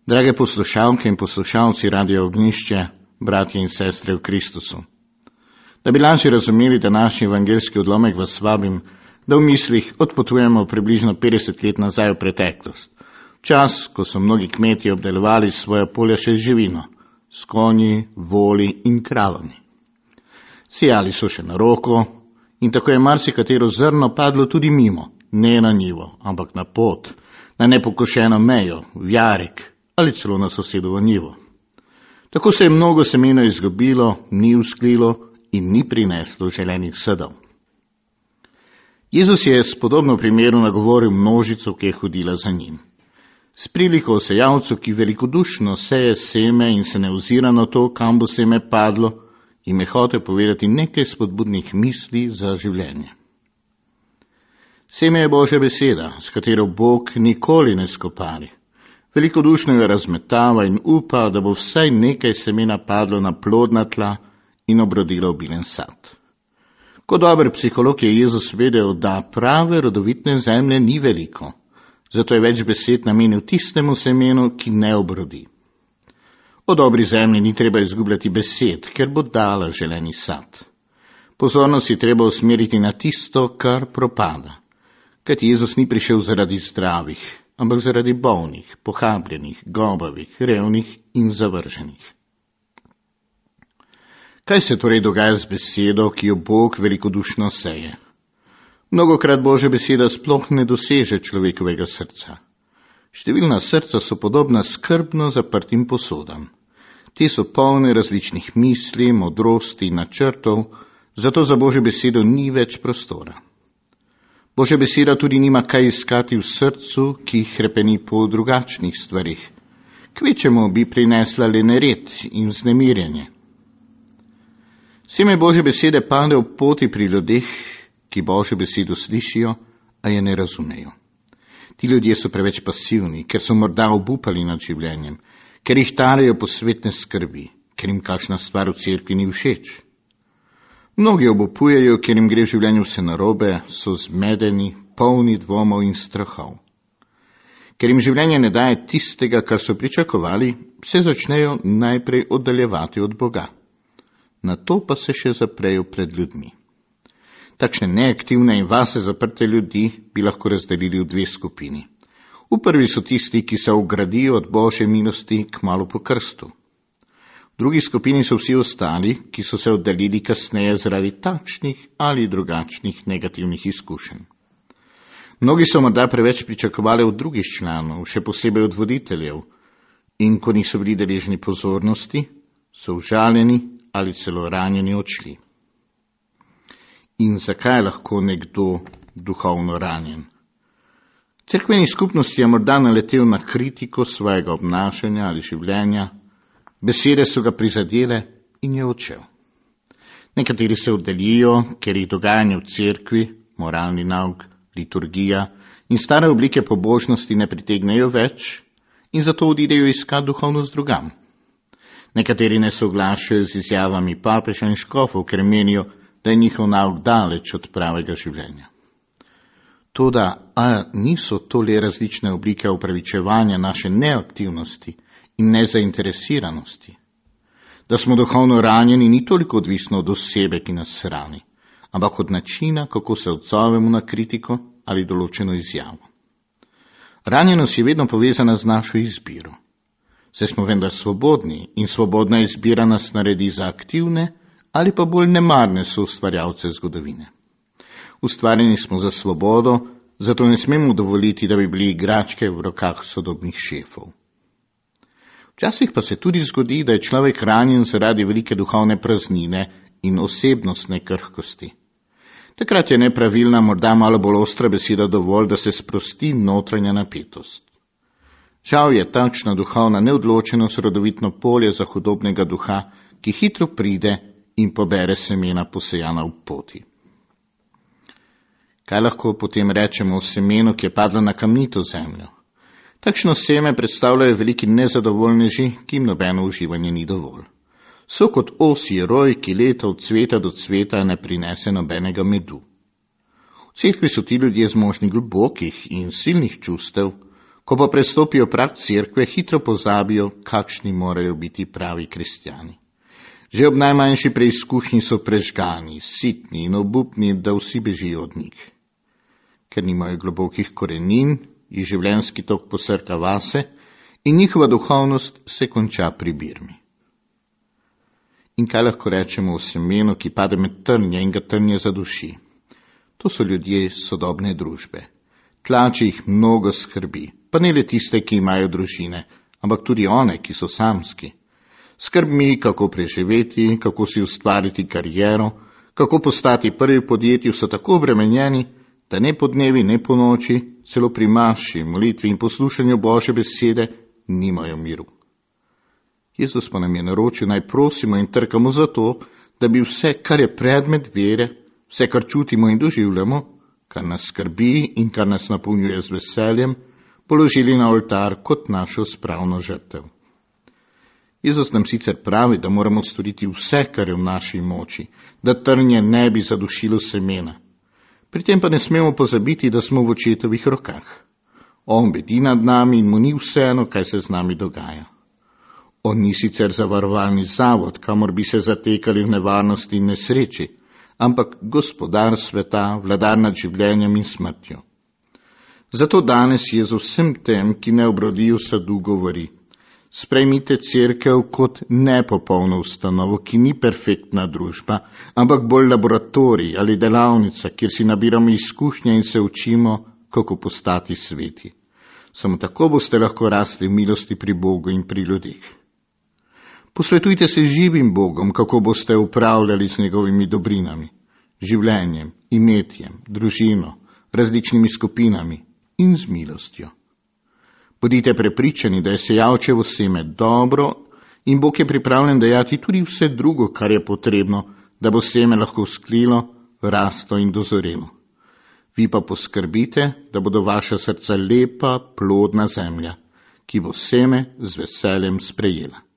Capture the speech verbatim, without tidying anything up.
Drage poslušalke in poslušalci Radia Ognjišče, bratje in sestre v Kristusu. Da bi lažje razumeli današnji evangeljski odlomek, vas vabim, da v mislih odpotujemo približno petdeset let nazaj v preteklost. Čas, ko so mnogi kmetje obdelovali svoja polja še z živino, s konji, voli in kravami. Sijali so še na roko in tako je marsikatero zrno padlo tudi mimo, ne na njivo, ampak na pot, na nepokošeno mejo, v jarek ali celo na sosedovo njivo. Tako se je mnogo semena izgubilo, ni usklilo in ni prineslo želenih sadov. Jezus je s podobno primeru nagovoril množico, ki je hodila za njim. S priliko o sejalcu, ki velikodušno seje seme in se ne ozira na to, kam bo seme padlo, jim je hotel povedati nekaj spodbudnih misli za življenje. Seme je Božja beseda, s katero Bog nikoli ne skopari. Velikodušno jo razmetava in upa, da bo vsaj nekaj semena padlo na plodna tla in obrodilo obilen sad. Kot dober psiholog je Jezus vedel, da prave rodovitne zemlje ni veliko, zato je več besed namenil tistemu semenu, ki ne obrodi. O dobri zemlji ni treba izgubljati besed, ker bo dala želeni sad. Pozornost je treba usmeriti na tisto, kar propada. Kajti Jezus ni prišel zaradi zdravih, ampak zaradi bolnih, pohabljenih, gobavih, revnih in zavrženih. Kaj se torej dogaja z besedo, ki jo Bog velikodušno seje? Mnogokrat Božja beseda sploh ne doseže človekovega srca. Številna srca so podobna skrbno zaprtim posodam. Te so polne različnih misli, modrosti in načrtov, zato za Božjo besedo ni več prostora. Božja beseda tudi nima kaj iskati v srcu, ki hrepeni po drugačnih stvarih. Kvečemu bi prinesla le nered in vznemirjenje. Seme Božje besede pade v poti pri ljudeh, ki Božjo besedo slišijo, a je ne razumejo. Ti ljudje so preveč pasivni, ker so morda obupali nad življenjem, ker jih tarejo posvetne skrbi, ker jim kakšna stvar v cerkvi ni všeč. Mnogi obupujejo, ker jim gre v življenju vse narobe, so zmedeni, polni dvomov in strahov. Ker jim življenje ne daje tistega, kar so pričakovali, se začnejo najprej oddaljevati od Boga. Na to pa se še zaprejo pred ljudmi. Takšne neaktivne in vase zaprte ljudi bi lahko razdelili v dve skupini. V prvi so tisti, ki se ogradijo od Božje milosti kmalu po krstu. V drugi skupini so vsi ostali, ki so se oddaljili kasneje zaradi takšnih ali drugačnih negativnih izkušenj. Mnogi so morda preveč pričakovali od drugih članov, še posebej od voditeljev, in ko niso bili deležni pozornosti, so užaljeni ali celo ranjeni odšli. In zakaj je lahko nekdo duhovno ranjen? V cerkveni skupnosti je morda naletel na kritiko svojega obnašanja ali življenja, besede so ga prizadele in je odšel. Nekateri se oddaljijo, ker jih dogajanje v cerkvi, moralni nauk, liturgija in stare oblike pobožnosti ne pritegnejo več in zato odidejo iskat duhovnost drugam. Nekateri ne soglašajo z izjavami papeža in škofov, ker menijo, da je njihov nauk daleč od pravega življenja. Toda, a niso to le različne oblike upravičevanja naše neaktivnosti in nezainteresiranosti? Da smo duhovno ranjeni, ni toliko odvisno od osebe, ki nas rani, ampak od načina, kako se odzovemo na kritiko ali določeno izjavo. Ranjenost je vedno povezana z našo izbiro. Saj smo vendar svobodni in svobodna izbira nas naredi za aktivne ali pa bolj nemarne soustvarjalce zgodovine. Ustvarjeni smo za svobodo, zato ne smemo dovoliti, da bi bili igračke v rokah sodobnih šefov. Včasih pa se tudi zgodi, da je človek ranjen zaradi velike duhovne praznine in osebnostne krhkosti. Takrat je nepravilna, morda malo bolj ostra beseda dovolj, da se sprosti notranja napetost. Žal je takšna duhovna neodločenost rodovitno polje za hudobnega duha, ki hitro pride in pobere semena posejana v poti. Kaj lahko potem rečemo o semenu, ki je padlo na kamnito zemljo? Takšno seme predstavljajo veliki nezadovoljneži, ki jim nobeno uživanje ni dovolj. So kot osji roj, ki leta od cveta do cveta ne prinese nobenega medu. V cerkvi so ti ljudje zmožni globokih in silnih čustev, Ko pa prestopijo prag cerkve, hitro pozabijo, kakšni morajo biti pravi kristjani. Že ob najmanjši preizkušnji so prežgani, sitni in obupni, da vsi bežijo od njih. Ker nimajo globokih korenin, jih življenjski tok posrka vase in njihova duhovnost se konča pri birmi. In kaj lahko rečemo o semenu, ki pade med trnje in ga trnje zaduši? To so ljudje sodobne družbe. Tlači jih mnogo skrbi, pa ne le tiste, ki imajo družine, ampak tudi one, ki so samski. Skrb mi, kako preživeti, kako si ustvariti kariero, kako postati prvi v podjetju, so tako obremenjeni, da ne po dnevi, ne po noči, celo pri maši, molitvi in poslušanju Božje besede nimajo miru. Jezus pa nam je naročil, naj prosimo in trkamo za to, da bi vse, kar je predmet vere, vse, kar čutimo in doživljamo, kar nas skrbi in kar nas napolnjuje z veseljem, položili na oltar kot našo spravno žrtev. Jezus nam sicer pravi, da moramo storiti vse, kar je v naši moči, da trnje ne bi zadušilo semena. Pri tem pa ne smemo pozabiti, da smo v očetovih rokah. On bedi nad nami in mu ni vseeno, kaj se z nami dogaja. On ni sicer zavarovalni zavod, kamor bi se zatekali v nevarnosti in nesreči, ampak gospodar sveta, vladar nad življenjem in smrtjo. Zato danes Jezus vsem tem, ki ne obrodijo sadu, govori: sprejmite cerkev kot nepopolno ustanovo, ki ni perfektna družba, ampak bolj laboratorij ali delavnica, kjer si nabiramo izkušnje in se učimo, kako postati sveti. Samo tako boste lahko rasli v milosti pri Bogu in pri ljudeh. Posvetujte se živim Bogom, kako boste upravljali z njegovimi dobrinami, življenjem, imetjem, družino, različnimi skupinami in z milostjo. Bodite prepričani, da je sejalčevo seme dobro in Bog je pripravljen dajati tudi vse drugo, kar je potrebno, da bo seme lahko vzklilo, raslo in dozorelo. Vi pa poskrbite, da bodo vaša srca lepa, plodna zemlja, ki bo seme z veseljem sprejela.